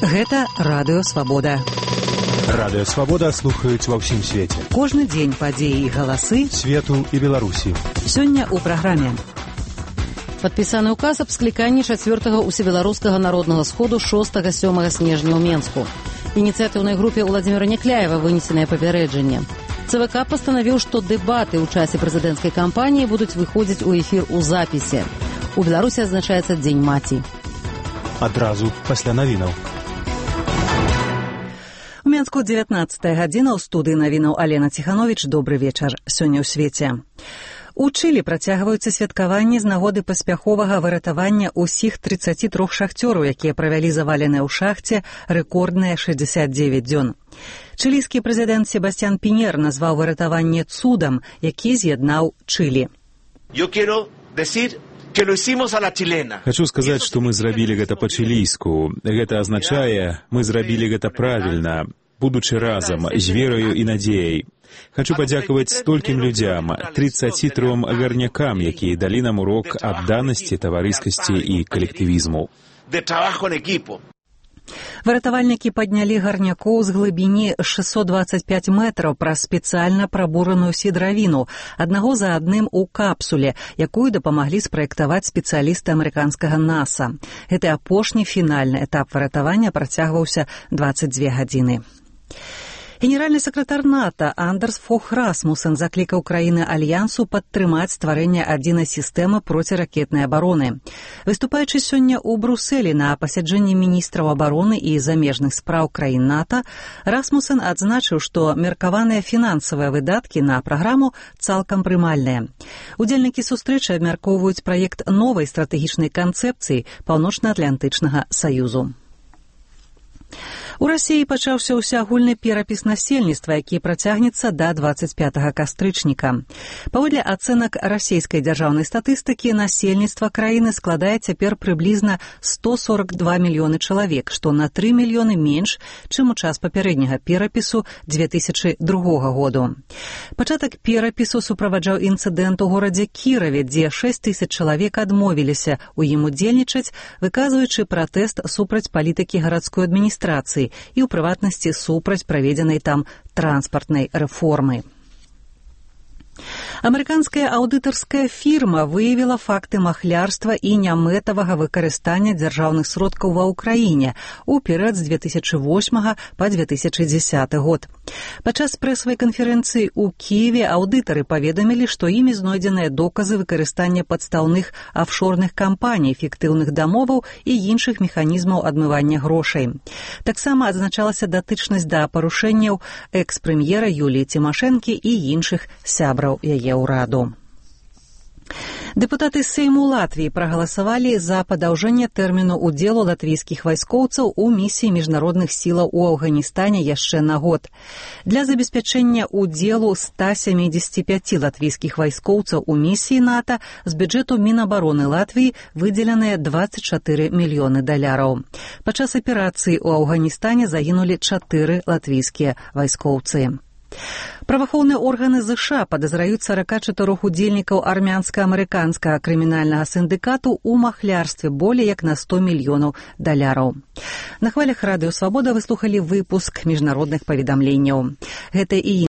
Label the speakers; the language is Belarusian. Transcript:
Speaker 1: Гэта Радыё Свабода.
Speaker 2: Радыё Свабода слухаюць ва ўсім свеце.
Speaker 1: Кожны дзень падзеі і галасы
Speaker 2: свету і Беларусі.
Speaker 1: Сёння ў праграме.
Speaker 3: Падпісаны ўказ аб скліканні 4-го усебеларускага народнага сходу 6-7 снежня ў Менску. Ініцыятыўнай групе Владзіміра Някляева вынесенае папярэджанне. ЦВК пастанавіў, што дэбаты ў часе прэзідэнцкай кампаніі будуць выходзіць у эфір у запісе. У Беларусі адзначаецца Дзень маці.
Speaker 2: Адразу пасля навінаў.
Speaker 1: У Менску 19-я гадзіна, ў студыі навінаў Алена Ціхановіч. Добры вечар. Сёння ў свеце. У Чылі працягваюцца святкаванні з нагоды паспяховага выратавання ўсіх 33 шахцёраў, якія правялі заваленыя ў шахце рэкордныя 69 дзён. Чылійскі прэзідэнт Себастьян Піньер назваў выратаванне цудам, які з'яднаў Чылі.
Speaker 4: Хачу сказаць, што мы зрабілі гэта па-чылійску. Гэта азначае, мы зрабілі гэта правільна, будучы разам, з вераю і надзеяй. Хачу падзякаваць столькім людзям, 33 гарнякам, якія далі нам урок адданасці, таварыскасці і калектывізму.
Speaker 1: Выратавальнікі паднялі гарнякоў з глыбіні 625 метраў праз спецыяльна прабураную сідравіну, аднаго за адным у капсуле, якую дапамаглі спраектаваць спецыялісты амерыканскага НАСА. Гэты апошні фінальны этап выратавання працягваўся 22 гадзіны. Генеральны сакратар НАТО Андерс Фог Расмусен заклікаў краіны Альянсу падтрымаць стварэнне адзінай сістэмы проціракетнай абароны. Выступаючы сёння ў Брусэлі на пасяджэнні міністраў абароны і замежных спраў краін НАТО, Расмусен адзначыў, што меркаваныя фінансавыя выдаткі на праграму цалкам прымальныя. Удзельнікі сустрэчы абмяркоўваюць праект новай стратэгічнай канцэпцыі Паўночна-Атлантычнага саюзу. У Расіі пачаўся ўсеагульны перапіс насельніцтва, які працягнецца да 25 кастрычніка. Паводле ацэнак расійскай дзяржаўнай статыстыкі, насельніцтва краіны складае цяпер прыблізна 142 мільёны чалавек, што на 3 мільёны менш, чым у час папярэдняга перапісу 2002 году. Пачатак перапісу суправаджаў інцыдэнт у горадзе Кіраве, дзе 6 000 чалавек адмовіліся ў ім удзельнічаць, выказваючы пратэст супраць палітыкі гарадской адміністрацыі і ў прыватнасці супраць праведзенай там транспартнай рэформы. Амерыканская аўдытарская фірма выявіла факты махлярства і нямэтавага выкарыстання дзяржаўных сродкаў ва ўкраіне ў перыяд з 2008 па 2010 год. Падчас прэсавай канферэнцыі ў Кіеве аўдытары паведамілі, што імі знойдзеныя доказы выкарыстання падстаўных афшорных кампаній, фіктыўных дамоваў і іншых механізмаў адмывання грошай. Таксама адзначалася датычнасць да парушэнняў экс-прэм'ера Юліі Цімашэнкі і іншых сябраў яе ўраду. Дэпутаты Сейму Латвіі прагаласавалі за падаўжэнне тэрміну ўдзелу латвійскіх вайскоўцаў у місіі міжнародных сілаў у Афганістане яшчэ на год. Для забеспячэння ўдзелу 175 латвійскіх вайскоўцаў у місіі НАТО з бюджэту Мінабароны Латвіі выдзеленыя $24 мільёны. Падчас аперацыі ў Афганістане загінулі 4 латвійскія вайскоўцы. Праваахоўныя органы ЗША падазраюць 44 удзельнікаў армянска-амерыканскага крымінальнага сіндыкату ў махлярстве болей як на $100 мільёнаў. На хвалях Радыё Свабода вы слухалі выпуск міжнародных паведамленняў. Гэта і